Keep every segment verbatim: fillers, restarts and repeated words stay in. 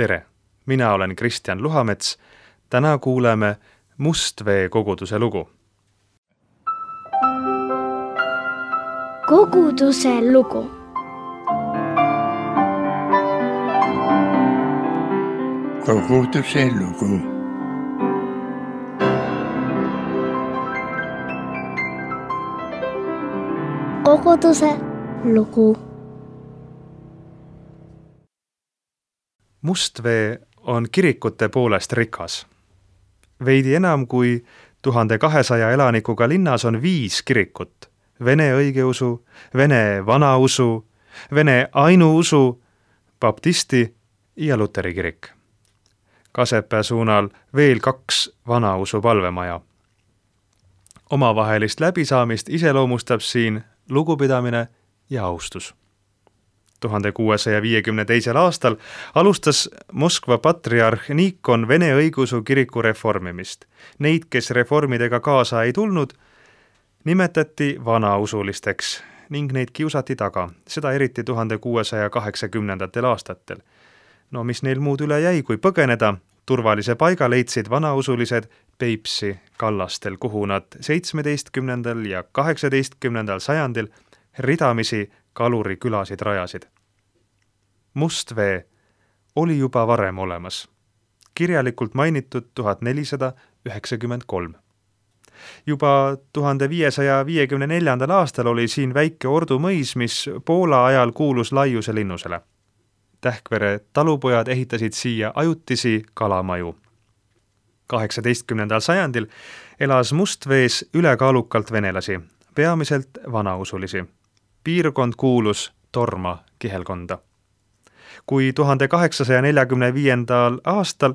Tere! Mina olen Kristjan Luhamets. Täna kuuleme Mustvee koguduse lugu. Koguduse lugu. Koguduse lugu. Koguduse lugu. Mustvee on kirikute poolest rikas. Veidi enam kui tuhande kahesaja elanikuga linnas on viis kirikut. Vene õigeusu, Vene vanausu, Vene ainuusu, baptisti ja luteri kirik. Kasepää suunal veel kaks vanausu palvemaja. Omavahelist läbisaamist iseloomustab siin lugupidamine ja austus. tuhande kuuesaja viiekümne teisel aastal alustas Moskva patriarh Nikon Vene õigeusu kiriku reformimist. Neid, kes reformidega kaasa ei tulnud, nimetati vanausulisteks ning neid kiusati taga, seda eriti tuhande kuuesaja kaheksakümnendatel aastatel. No mis neil muud üle jäi, kui põgeneda, turvalise paiga leidsid vanausulised Peipsi kallastel, kuhu nad seitsmeteistkümnendal ja kaheksateistkümnendal sajandil ridamisi kalurikülasid rajasid. Mustvee oli juba varem olemas, kirjalikult mainitud tuhat nelisada üheksakümmend kolm. Juba tuhande viiesaja viiekümne neljandal aastal oli siin väike Ordu mõis, mis Poola ajal kuulus Laiuse linnusele. Tähkvere talupojad ehitasid siia ajutisi kalamaju. kaheksateistkümnendal sajandil elas Mustvees ülekaalukalt venelasi, peamiselt vanausulisi. Piirkond kuulus Torma kihelkonda. Kui tuhande kaheksasaja neljakümne viiendal aastal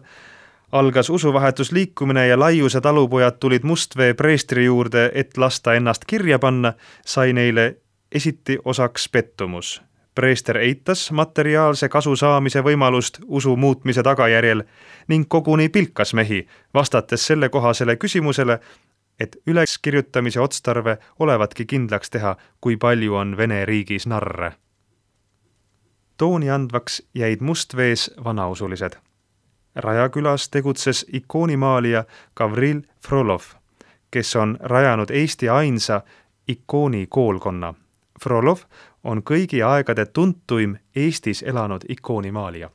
algas usuvahetusliikumine ja Laiuse talupojad tulid Mustvee preestri juurde, et lasta ennast kirja panna, sai neile esiti osaks pettumus. Preester eitas materiaalse kasu saamise võimalust usu muutmise tagajärjel ning koguni pilkas mehi, vastates selle kohasele küsimusele, et üleskirjutamise otstarve olevatki kindlaks teha, kui palju on Vene riigis narre. Tooni andvaks jäid Mustvees vanausulised. Rajakülas tegutses ikoonimaalija Gavril Frolov, kes on rajanud Eesti ainsa ikoonikoolkonna. Frolov on kõigi aegade tuntuim Eestis elanud ikoonimaalija.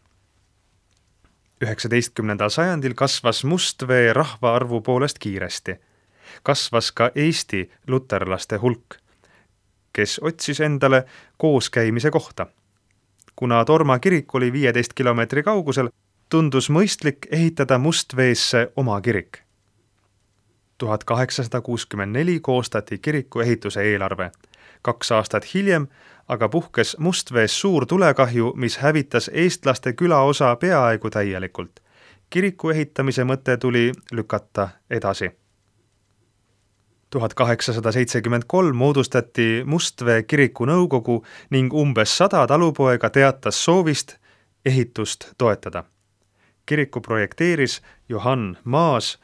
üheksateistkümnendal sajandil kasvas Mustvee rahvaarvu poolest kiiresti. Kasvas ka Eesti luterlaste hulk, kes otsis endale kooskäimise kohta. Kuna Torma kirik oli viieteist kilomeetri kaugusel, tundus mõistlik ehitada Mustveesse oma kirik. tuhat kaheksasada kuuskümmend neli koostati kiriku ehituse eelarve. Kaks aastat hiljem aga puhkes Mustvees suur tulekahju, mis hävitas eestlaste külaosa peaaegu täielikult. Kiriku ehitamise mõte tuli lükata edasi. tuhat kaheksasada seitsekümmend kolm moodustati Mustvee kiriku nõukogu ning umbes sada talupoega teatas soovist ehitust toetada. Kiriku projekteeris Johann Maas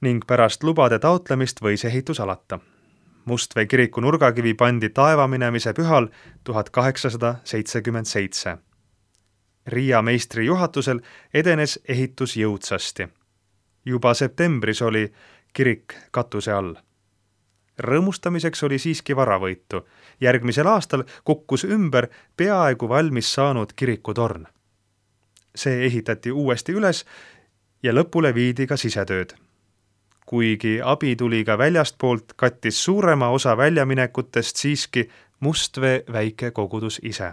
ning pärast lubade taotlemist võis ehitus alata. Mustvee kiriku nurgakivi pandi taevaminemise pühal tuhat kaheksasada seitsekümmend seitse. Riia meistri juhatusel edenes ehitus jõudsasti. Juba septembris oli kirik katuse all. Rõõmustamiseks oli siiski varavõitu. Järgmisel aastal kukkus ümber peaaegu valmis saanud kirikutorn. See ehitati uuesti üles ja lõpule viidi ka sisetööd. Kuigi abi tuli ka väljastpoolt, kattis suurema osa väljaminekutest siiski Mustvee väike kogudus ise.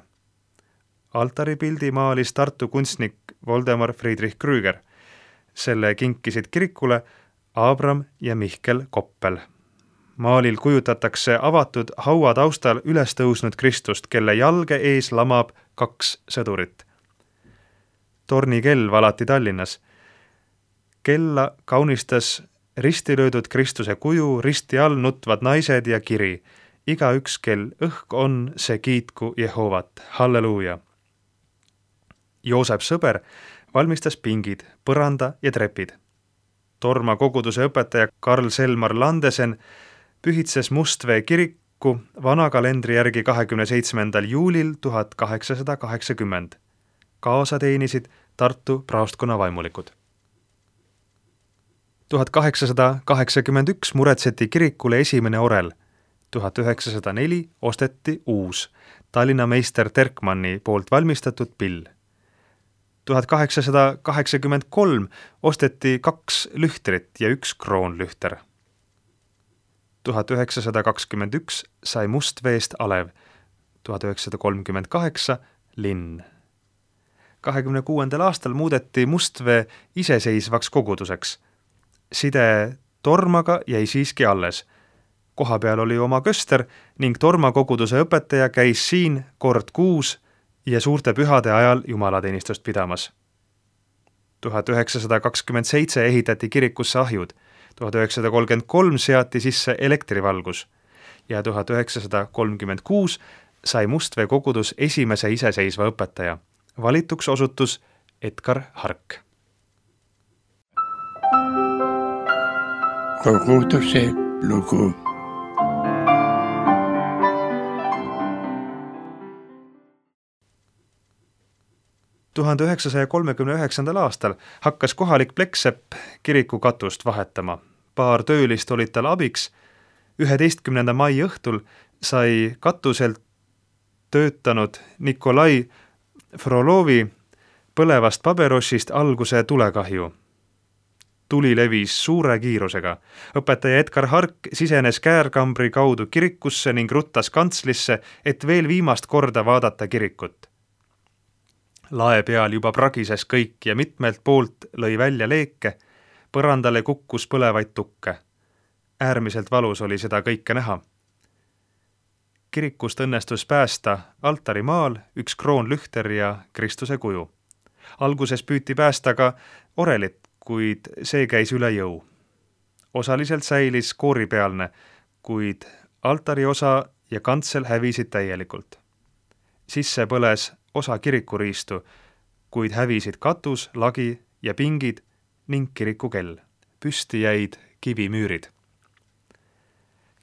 Altaripildi maalis Tartu kunstnik Voldemar Friedrich Krüger. Selle kinkisid kirikule Abram ja Mihkel Koppel. Maalil kujutatakse avatud haua taustal üles tõusnud Kristust, kelle jalge ees lamab kaks sõdurit. Tornikell valati Tallinnas. Kella kaunistas ristilöödud Kristuse kuju, risti all nutvad naised ja kiri. Iga üks kel õhk on, see kiitku Jehovat. Halleluuja! Joosep Sõber valmistas pingid, põranda ja trepid. Torma koguduse õpetaja Karl Selmar Landesen pühitses Mustvee kirikku vana kalendri järgi kahekümne seitsmendal juulil tuhat kaheksasada kaheksakümmend. Kaasa teenisid Tartu praostkonna vaimulikud. tuhat kaheksasada kaheksakümmend üks muretseti kirikule esimene orel. tuhat üheksasada neli osteti uus, Tallinna meister Terkmanni poolt valmistatud pill. tuhat kaheksasada kaheksakümmend kolm osteti kaks lühtrit ja üks kroonlühter. tuhat üheksasada kakskümmend üks sai Mustveest alev, tuhat üheksasada kolmkümmend kaheksa linn. kahekümne kuuendal aastal muudeti Mustvee iseseisvaks koguduseks. Side Tormaga jäi siiski alles. Koha peal oli oma köster ning Torma koguduse õpetaja käis siin kord kuus ja suurte pühade ajal jumalateenistust pidamas. tuhat üheksasada kakskümmend seitse ehitati kirikusse ahjud, tuhat üheksasada kolmkümmend kolm seati sisse elektrivalgus ja tuhat üheksasada kolmkümmend kuus sai Mustvee kogudus esimese iseseisva õpetaja. Valituks osutus Edgar Hark. Koguduse lugu. tuhande üheksasaja kolmekümne üheksandal aastal hakkas kohalik plekksepp kiriku katust vahetama. Paar töölist olid tal abiks. üheteistkümnenda mai õhtul sai katuselt töötanud Nikolai Frolovi põlevast paberossist alguse tulekahju. Tuli levis suure kiirusega. Õpetaja Edgar Hark sisenes käärkambri kaudu kirikusse ning ruttas kantslisse, et veel viimast korda vaadata kirikut. Lae peal juba pragises kõik ja mitmelt poolt lõi välja leeke, põrandale kukkus põlevaid tukke. Äärmiselt valus oli seda kõike näha. Kirikust õnnestus päästa altarimaal üks kroonlühter ja Kristuse kuju. Alguses püüti päästa ka orelit, kuid see käis üle jõu. Osaliselt säilis kooripealne, kuid altari osa ja kantsel hävisid täielikult. Sisse põles osa kirikuriistu, kuid hävisid katus, lagi ja pingid ning kirikukell. Püsti jäid kivimüürid.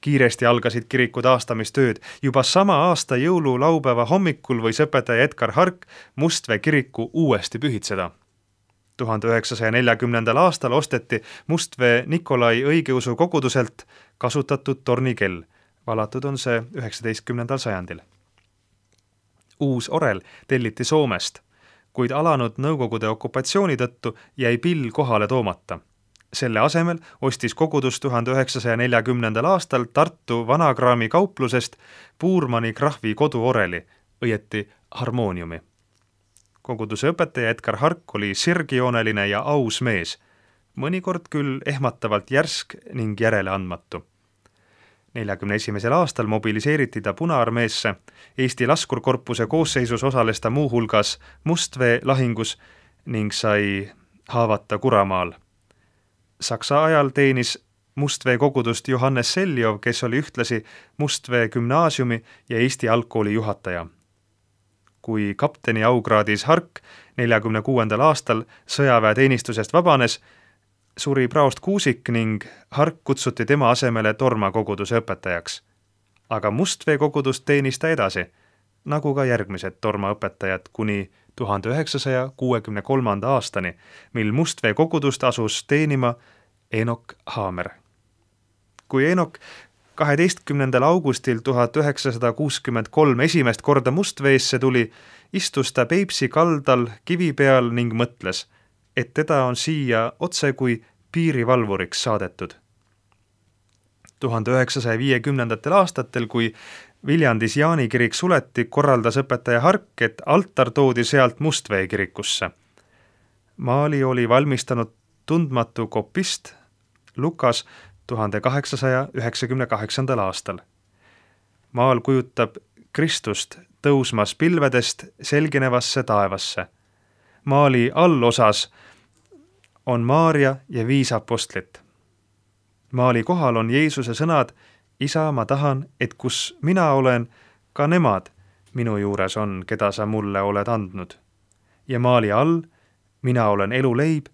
Kiiresti algasid kiriku taastamistööd. Juba sama aasta jõululaupäeva hommikul võis õpetaja Edgar Hark Mustvee kiriku uuesti pühitseda. tuhande üheksasaja neljakümnendal aastal osteti Mustvee Nikolai õigeusu koguduselt kasutatud tornikell. Valatud on see üheksateistkümnendal sajandil. Uus orel telliti Soomest, kuid alanud Nõukogude okupatsiooni tõttu jäi pill kohale toomata. Selle asemel ostis kogudus tuhande üheksasaja neljakümnendal aastal Tartu Vanakraami kauplusest Puurmani krahvi koduoreli, õieti harmooniumi. Koguduse õpetaja Edgar Hark oli sirgjooneline ja aus mees, mõnikord küll ehmatavalt järsk ning järeleandmatu. neljakümne esimesel aastal mobiliseeriti ta Punaarmeesse. Eesti laskurkorpuse koosseisus osales ta muuhulgas Mustvee lahingus ning sai haavata Kuramaal. Saksa ajal teenis Mustvee kogudust Johannes Seljov, kes oli ühtlasi Mustvee gümnaasiumi ja Eesti algkooli juhataja. Kui kapteni aukraadis Hark neljakümne kuuendal aastal sõjaväeteenistusest vabanes, suri praost Kuusik ning Hark kutsuti tema asemele Torma koguduse õpetajaks. Aga Mustvee kogudust teenis ta edasi, nagu ka järgmised Torma õpetajad kuni tuhande üheksasaja kuuekümne kolmanda aastani, mil Mustvee kogudust asus teenima Eenok Haamer. Kui Eenok kaheteistkümnendal augustil tuhat üheksasada kuuskümmend kolm esimest korda Mustveesse tuli, istus ta Peipsi kaldal kivi peal ning mõtles, et teda on siia otse kui piirivalvuriks saadetud. tuhande üheksasaja viiekümnendatel aastatel, kui Viljandis Jaani kirik suleti, korraldas õpetaja Hark, et altar toodi sealt Mustvee kirikusse. Maali oli valmistanud tundmatu kopist Lukas tuhande kaheksasaja üheksakümne kaheksandal aastal. Maal kujutab Kristust tõusmas pilvedest selginevasse taevasse. Maali allosas on Maaria ja viis apostlit. Maali kohal on Jeesuse sõnad: Isa, ma tahan, et kus mina olen, ka nemad minu juures on, keda sa mulle oled andnud. Ja maali all: mina olen eluleib,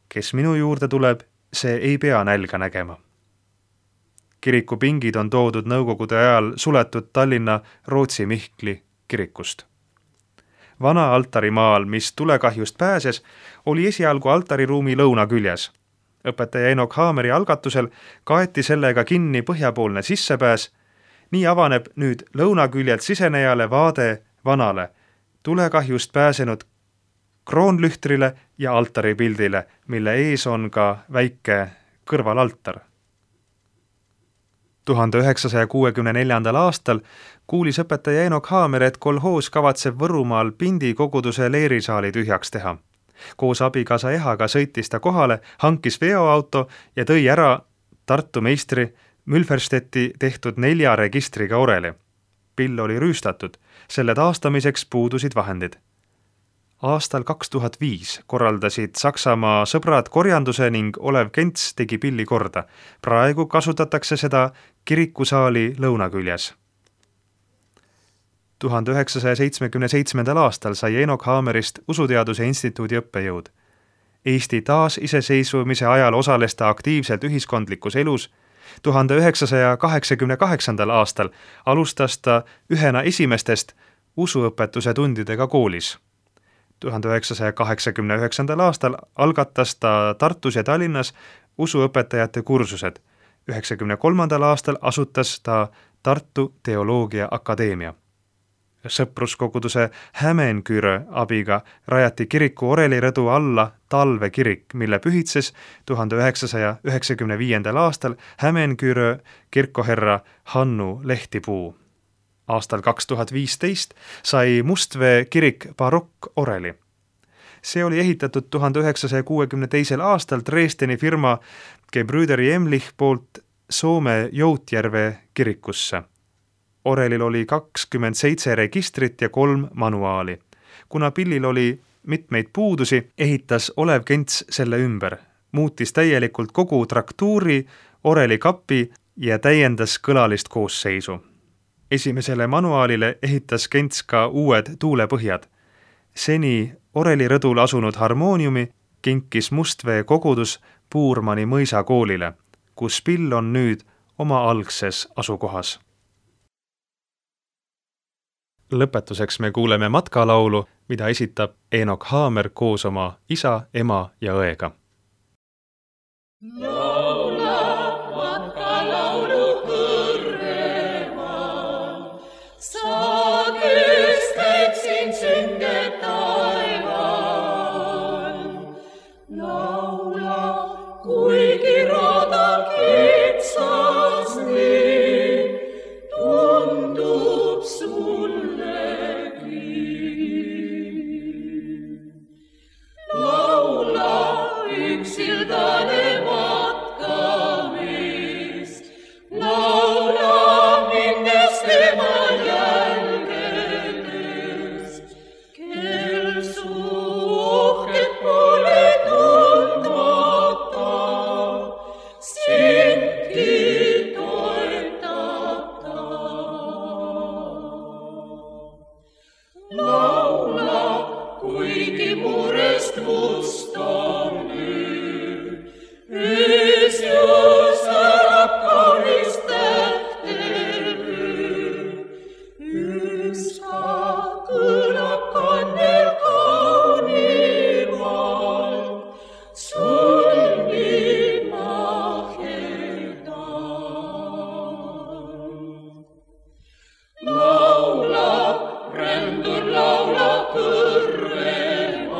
kes minu juurde tuleb, see ei pea nälga nägema. Kiriku pingid on toodud Nõukogude ajal suletud Tallinna Rootsi Mihkli kirikust. vana altarimaal, mis tulekahjust pääses, oli esialgu altariruumi lõunaküljes. Õpetaja Enoch Haameri algatusel kaeti sellega kinni põhjapoolne sissepääs. Nii avaneb nüüd lõunaküljelt sisenejale vaade vanale, tulekahjust pääsenud kroonlühtrile ja altaripildile, mille ees on ka väike kõrvalaltar. tuhande üheksasaja kuuekümne neljandal aastal kuulis õpetaja Enoch Haamer, et kolhoos kavatseb Võrumaal Pindi koguduse leerisaali tühjaks teha. Koos abikaasa Ehaga sõitis ta kohale, hankis veoauto ja tõi ära Tartu meistri Mülferstetti tehtud nelja registriga oreli. Pill oli rüüstatud, selle taastamiseks puudusid vahendid. Aastal kaks tuhat viis korraldasid Saksamaa sõbrad korjanduse ning Olev Kents tegi pilli korda. Praegu kasutatakse seda kirikusaali lõunaküljes. tuhande üheksasaja seitsmekümne seitsmendal aastal sai Enoch Haamerist Usuteaduse instituudi õppejõud. Eesti taasiseseisvumise ajal osales ta aktiivselt ühiskondlikus elus. tuhande üheksasaja kaheksakümne kaheksandal aastal alustas ta ühena esimestest usuõpetuse tundidega koolis. tuhande üheksasaja kaheksakümne üheksandal aastal algatas ta Tartus ja Tallinnas usuõpetajate kursused. üheksakümne kolmandal aastal asutas ta Tartu Teoloogia Akadeemia. Sõpruskoguduse Hämeenküre abiga rajati kiriku orelirõdu alla talvekirik, mille pühitses tuhande üheksasaja üheksakümne viiendal aastal Hämeenküre kirkoherra Hannu Lehtipuu. Aastal kaks tuhat viisteist sai Mustvee kirik barokkoreli. See oli ehitatud tuhande üheksasaja kuuekümne teisel aastal Dresdeni firma Gebrüderi Emlich poolt Soome Joutjärve kirikusse. Orelil oli kakskümmend seitse registrit ja kolm manuaali. Kuna pillil oli mitmeid puudusi, ehitas Olev Kents selle ümber, muutis täielikult kogu traktuuri, oreli kapi ja täiendas kõlalist koosseisu. Esimesele manuaalile ehitas Kents ka uued tuulepõhjad. Seni orelirõdul asunud harmooniumi kinkis Mustvee kogudus Puurmani mõisa koolile, kus pill on nüüd oma algses asukohas. Lõpetuseks me kuuleme matkalaulu, mida esitab Enoch Haamer koos oma isa, ema ja õega. Laula matkalaulu kõrvema, sa kested siin sünge taeval. Laula, kuigi rada kitsas nii, tundub sul sildane matkamist, laula minnes tema jälgedest, kel su ohket pole tundmata, sindki toetab ta. Laula, kuigi murest must on ees just särab kaunis tähtevöö, ükska kõlab kannel kaunimalt, sul nii mahedalt. Laulab, rändur laulab kõrvemal,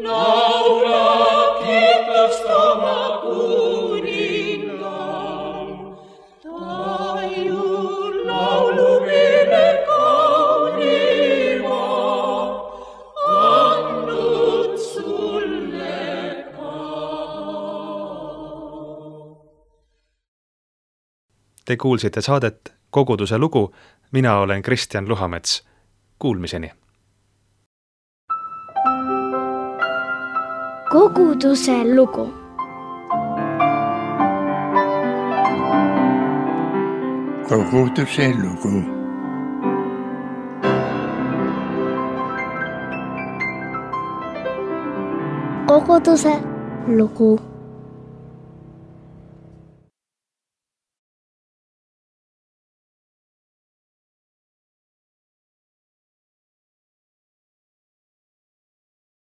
laulab oma kuningal, ta ju laulu meile kaunima, andnud sulle ka. Te kuulsite saadet Koguduse lugu, mina olen Kristjan Luhamets. Kuulmiseni! Koguduse lugu. Koguduse lugu. Koguduse lugu.